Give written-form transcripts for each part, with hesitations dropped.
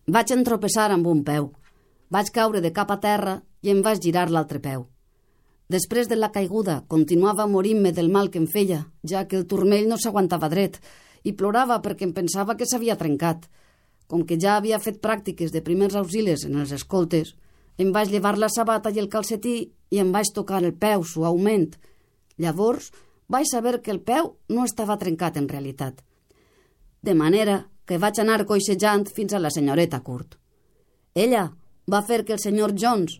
Vaig entropessar amb un peu. Vaig caure de cap a terra i em vaig girar l'altre peu. Després de la caiguda, continuava morint-me del mal que em feia, ja que el turmell no s'aguantava dret, i plorava perquè em pensava que s'havia trencat. Com que ja havia fet pràctiques de primers auxilis en els escoltes, em vaig llevar la sabata i el calcetí i em vaig tocar el peu suaument. Llavors vaig saber que el peu no estava trencat en realitat. De manera que vaig anar coixejant fins a la senyoreta Curt. Ella va fer que el senyor Jones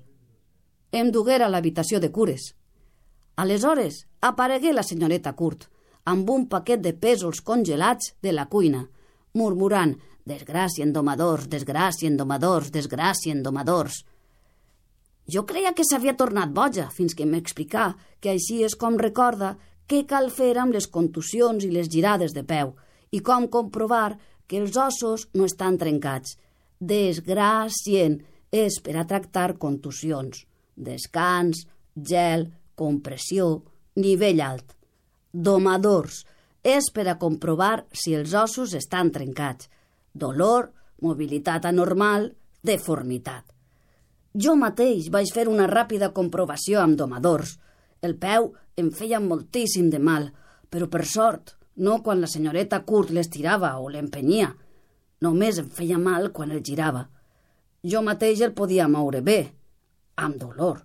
em duguera a l'habitació de cures. Aleshores aparegué la senyoreta Curt amb un paquet de pèsols congelats de la cuina, murmurant «Desgràcia en domadors, desgràcia en domadors, desgràcia en domadors». Jo creia que s'havia tornat boja fins que m'explicà que així és com recorda què cal fer amb les contusions i les girades de peu i com comprovar que els ossos no estan trencats. Desgràcien és per a tractar contusions. Descans, gel, compressió, nivell alt. Domadors és per a comprovar si els ossos estan trencats. Dolor, mobilitat anormal, deformitat. Jo mateix vaig fer una ràpida comprovació amb domadors. El peu em feia moltíssim de mal, però per sort, no quan la senyoreta Curt l'estirava o l'empenyia. Només em feia mal quan el girava. Jo mateix el podia moure bé, amb dolor,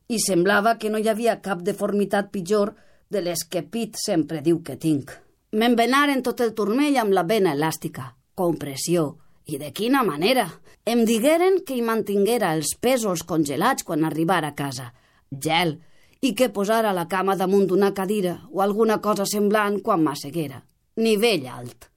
i semblava que no hi havia cap deformitat pitjor de les que Pete sempre diu que tinc. M'envenaren tot el turmell amb la vena elàstica, compressió, i de quina manera! Em digueren que hi mantinguera els pèsols congelats quan arribara a casa, gel, i que posara la cama damunt d'una cadira o alguna cosa semblant quan m'asseguera. Nivell alt.